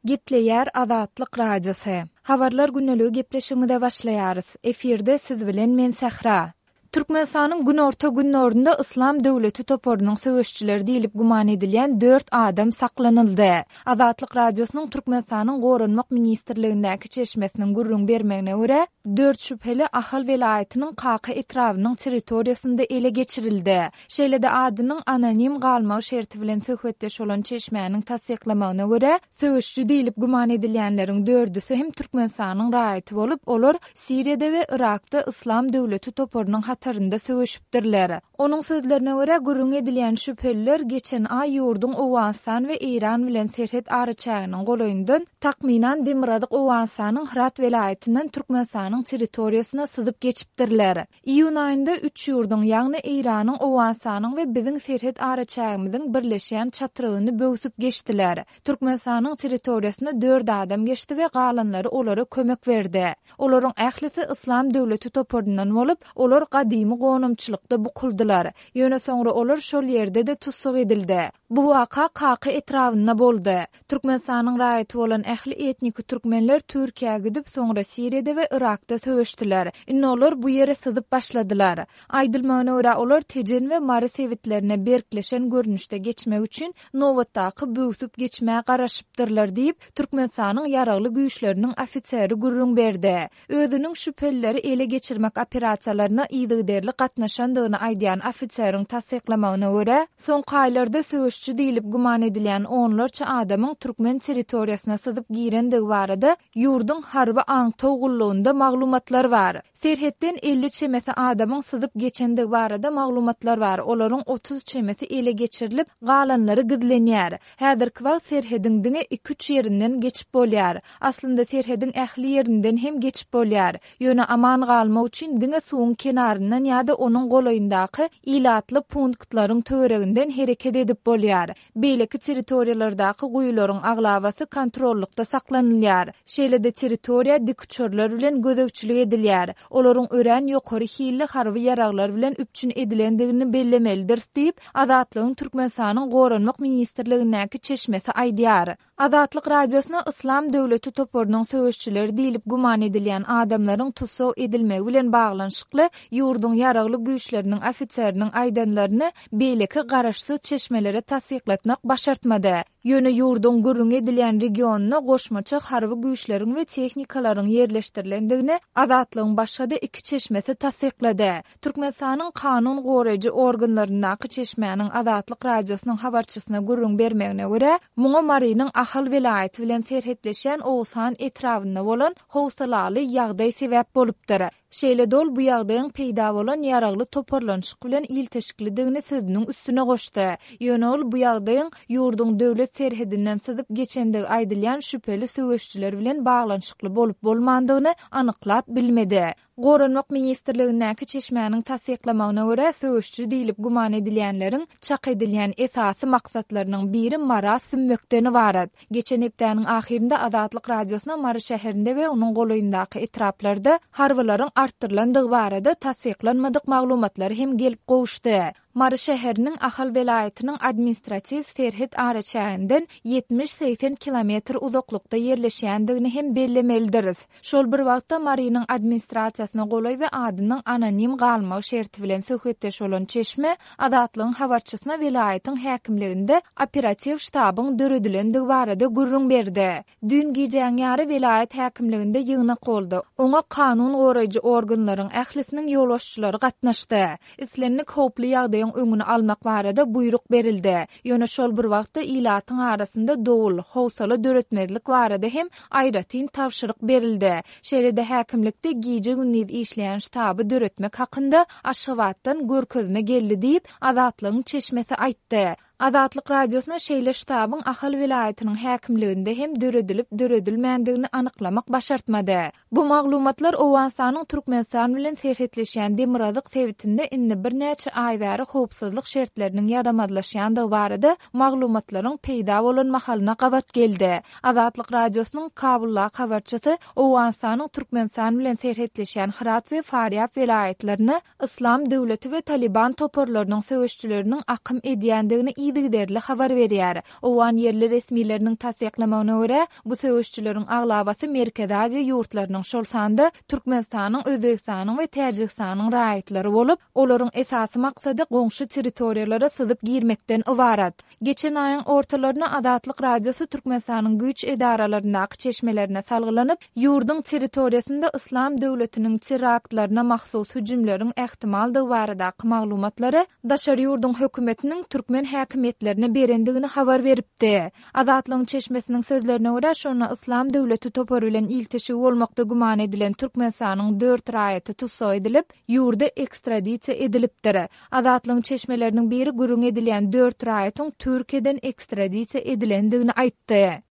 Gepleýär Azatlyk Radiosy. Habarlar gündeligi gepleşigimize başlaýarys. Efirde siz bilen men Sähra. Türkmenistanyň günorta-gündogarynda Yslam döwleti toparynyň söweşçileri diýlip güman edilýän dört adam saklanyldy. Azatlyk Radiosynyň Türkmenistanyň Goranmak ministrligindäki çeşmesiniň gürrüň bermegine görä, dört şübheli Ahal welaýatynyň Kaka etrabynyň territoriýasynda ele geçirildi. Şeýle-de adynyň anonim galmagy şerti bilen söhbetdeş bolan çeşmäniň tassyklamagyna görä, söweşiji diýlip güman edilýänleriň dördüsi hem Türkmenistanyň raýaty bolup, olar Siriýada we Yrakda Yslam döwleti toparynyň hatarynda söweşipdirler. Onuň sözlerine görä, gürrüň edilýän şübheliler geçen aý ýurduň Owganystan we Eýran bilen serhet araçäginiň golaýyndan, takmynan demirgazyk Owganystanyň Hyrat welaýatyndan Türkmenistanyň territoriýasyna syzyp geçipdirler. Iýun aýynda üç ýurduň, ýagny Eýranyň, Owganystanyň we biziň serhet araçägimiziň birleşýän çatrygyny böwsüp geçdiler. Türkmenistanyň territoriýasyna dört adam geçdi we galanlary olara kömek berdi. Olaryň ählisi Yslam döwleti toparyndan bolup, olar gadymy gonamçylykda bukuldylar. Ýöne soňra olar şol ýerde-de tussag edildi. Bu waka Kaka etrabynda boldy. Türkmenistanyň raýaty bolan ähli etniki türkmenler Türkiýä gidip, soňra Siriýada we Yrakda söweşdiler. Indi olar bu ýere syzyp başladylar. Aýdylmagyna görä, olar Tejen we Mary sebitlerine berkleşen görnüşde geçmek üçin nobatdaky böwsüp geçmä garaşypdyrlar diýip, Türkmenistanyň Ýaragly Güýçleriniň ofiseri gürrüň berdi. Özüniň şübhelileri ele geçirmek operasiýalaryna yzygiderli gatnaşandygyny aýdýan ofiseriň tassyklamagyna görä, soňky aýlarda söweşçi diýlip güman edilýän onlarça adamyň türkmen territoriýasyna syzyp girendigi barada ýurduň harby aňtaw gullugynda maglumatlar bar. Serhetden 50 çemesi adamyň syzyp geçendigi barada maglumatlar bar, olaryň 30 çemesi ele geçirilip, galanlary gizlenýär. Häzirki wagt serhediň diňe iki-üç ýerinden geçip bolýar. Aslynda serhediň ähli ýerinden hem geçip bolýar. Ýöne aman galmak üçin diňe suwuň kenaryndan ýa-da onuň golaýyndaky ilatly punktlaryň töwereginden hereket edip bolýar. Beýleki territoriýalardaky guýularyň aglabasy kontrollykda saklanylýar. Şeýle-de territoriýa dikuçarlar bilen gözegçilik edilýär. Olaryň örän ýokary hilli harby ýaraglar bilen üpjün edilendigini bellemelidiris diýip, Azatlygyň Türkmenistanyň Goranmak ministrligindäki çeşmesi aýdýar. Azatlyk Radiosyna Yslam döwleti toparynyň söweşçileri diýlip güman edilýän adamlaryň tussag edilmegi bilen baglanyşykly ýurduň ýaragly güýçleriniň ofiseriniň aýdanlaryny beýleki garaşsyz çeşmelere tassyklatmak başartmady. Ýöne ýurduň gürrüňi edilýän regionyna goşmaça harby güýçleriň we tehnikalaryň ýerleşdirilendigini Azatlygyň başga-da iki çeşmesi tassyklady. Türkmenistanyň kanun goraýjy organlaryndaky çeşmäniň Azatlyk Radiosynyň habarçysyna gürrüň bermegine görä, muňa Marynyň Ahal welaýaty bilen serhetleşýän Oguzhan etrabynda bolan howsalaly ýagdaý sebäp bolupdyr. Şeýle-de ol bu ýagdaýyň peýda bolan ýaragly toparlanyşyk bilen ilteşiklidigini sözüniň üstüne goşdy. Ýöne ol bu ýagdaýyň ýurduň döwlet serhedinden syzyp geçendigi aýdylýan şübheli söweşçiler bilen baglanyşykly bolup-bolmandygyny anyklap bilmedi. Goranmak ministrligindäki çeşmäniň tassyklamagyna görä, söweşçi diýlip güman edilýänleriň çak edilýän esasy maksatlarynyň biri Mara sümmekden ybarat. Geçen hepdäniň ahyrynda Azatlyk Radiosyna Mary şäherinde we onuň golaýyndaky etraplarda harbylaryň artdyrylandygy barada tassyklanmadyk maglumatlar hem gelip gowuşdy. Mary şäheriniň Ahal welaýatynyň administratiw serhet araçäginden 70-80 kilometr uzaklykda ýerleşýändigini hem bellemelidiris. Şol bir wagtda, Marynyň administrasiýasyna golaý we adynyň anonim galmagy şerti bilen söhbetdeş bolan çeşme Azatlygyň habarçysyna welaýatyň häkimliginde operatiw ştabyň döredilendigi barada gürrüň berdi. Düýn gijäň ýary welaýat häkimliginde ýygnak boldy. Oňa kanun goraýjy organlaryň ählisiniň ýolbaşçylary gatnaşdy. Islendik howply ýagdaýyň öňüni almak barada buýruk berildi. Ýöne şol bir wagtda ilatyň arasynda dowul, howsala döretmezlik barada hem aýratyn tabşyryk berildi. Şeýle-de häkimlikde gije-gündiz işleýän ştaby döretmek hakynda Aşgabatdan görkezme geldi diýip, Azatlygyň çeşmesi aýtdy. Azatlyk Radiosyna şeýle ştabyň Ahal welaýatynyň häkimliginde hem döredilip-döredilmändigini anyklamak başartmady. Bu maglumatlar Owganystanyň Türkmenistan bilen serhetleşýän demirgazyk sebitinde indi birnäçe aý bäri howpsuzlyk şertleriniň ýaramazlaşýandygy barada maglumatlaryň peýda bolan mahalyna gabat geldi. Azatlyk Radiosynyň Kabuldaky habarçysy Owganystanyň Türkmenistan bilen serhetleşýän Hyrat we Farýab welaýatlaryna Yslam döwleti we Talyban toparlarynyň söweşçileriniň akym edýändigini. yzygiderli habar berýär. Owgan ýerli resmileriniň tassyklamagyna görä, bu söweşijileriň aglabasy Merkezi Aziýa ýurtlarynyň, şol sanda Türkmenistanyň, Özbegistanyň we Täjigistanyň raýatlary bolup, olaryň esasy maksady goňşy territoriýalara syzyp girmekden ybarat. Geçen aýyň ortalarynda Azatlyk Radiosy Türkmenistanyň güýç edaralaryndaky çeşmelerine salgylanyp, ýurduň territoriýasynda Yslam döwletiniň teraktlaryna mahsus hüjümleriň ähtimaldygy baradaky maglumatlary daşary ýurduň hökümetiniň türkmen häkimiýetlerine berendigini habar beripdi. Azatlygyň çeşmesiniň sözlerine görä, şonda Yslam döwleti topary bilen ilteşigi bolmakda güman edilen Türkmenistanyň dört raýaty tussag edilip, ýurda ekstradisiýa edilipdir. Azatlygyň çeşmeleriniň biri gürrüňi edilýän dört raýatyň Türkiýeden ekstradisiýa edilendigini aýtdy.